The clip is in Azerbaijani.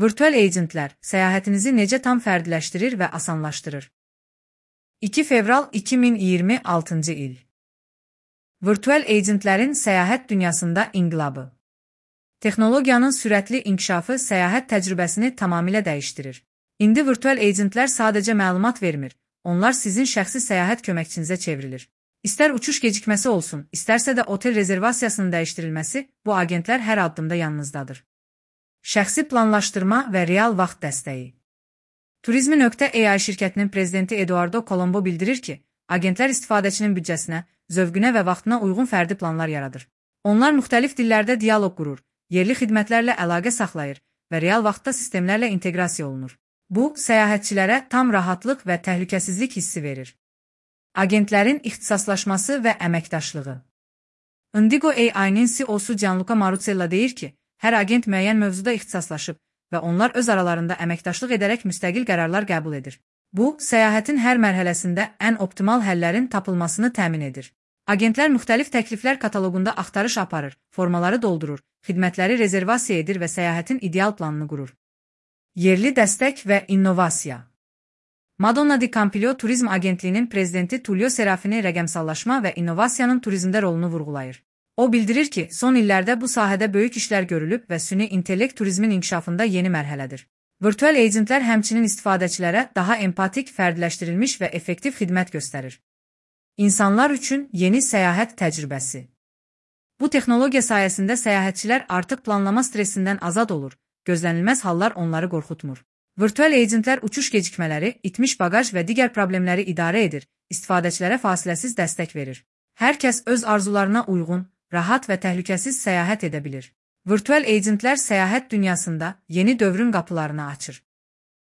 Virtual agentlər səyahətinizi necə tam fərdiləşdirir və asanlaşdırır? 2 fevral 2026-cı il. Virtual agentlərin səyahət dünyasında inqilabı. Texnologiyanın sürətli inkişafı səyahət təcrübəsini tamamilə dəyişdirir. İndi virtual agentlər sadəcə məlumat vermir, onlar sizin şəxsi səyahət köməkçinizə çevrilir. İstər uçuş gecikməsi olsun, istərsə də otel rezervasiyasının dəyişdirilməsi, bu agentlər hər addımda yanınızdadır. Şəxsi planlaşdırma və real vaxt dəstəyi. Turizmi.ai şirkətinin prezidenti Eduardo Colombo bildirir ki, agentlər istifadəçinin büdcəsinə, zövqünə və vaxtına uyğun fərdi planlar yaradır. Onlar müxtəlif dillərdə dialoq qurur, yerli xidmətlərlə əlaqə saxlayır və real vaxtda sistemlərlə inteqrasiya olunur. Bu, səyahətçilərə tam rahatlıq və təhlükəsizlik hissi verir. Agentlərin ixtisaslaşması və əməkdaşlığı. Indigo AI-nin CEO-su Gianluca Marusella deyir ki, hər agent müəyyən mövzuda ixtisaslaşıb və onlar öz aralarında əməkdaşlıq edərək müstəqil qərarlar qəbul edir. Bu, səyahətin hər mərhələsində ən optimal həllərin tapılmasını təmin edir. Agentlər müxtəlif təkliflər kataloqunda axtarış aparır, formaları doldurur, xidmətləri rezervasiya edir və səyahətin ideal planını qurur. Yerli dəstək və innovasiya. Madonna Di Campiglio Turizm Agentliyinin prezidenti Tullio Serafini rəqəmsallaşma və innovasiyanın turizmdə rolunu vurğulayır. O bildirir ki, son illərdə bu sahədə böyük işlər görülüb və süni intellekt turizmin inkişafında yeni mərhələdir. Virtual agentlər həmçinin istifadəçilərə daha empatik, fərdiləşdirilmiş və effektiv xidmət göstərir. İnsanlar üçün yeni səyahət təcrübəsi. Bu texnologiya sayəsində səyahətçilər artıq planlama stresindən azad olur, gözlənilməz hallar onları qorxutmur. Virtual agentlər uçuş gecikmələri, itmiş baqaj və digər problemləri idarə edir, istifadəçilərə fasiləsiz dəstək verir. Hər kəs öz arzularına uyğun, rahat və təhlükəsiz səyahət edə bilir. Virtual agentlər səyahət dünyasında yeni dövrün qapılarını açır.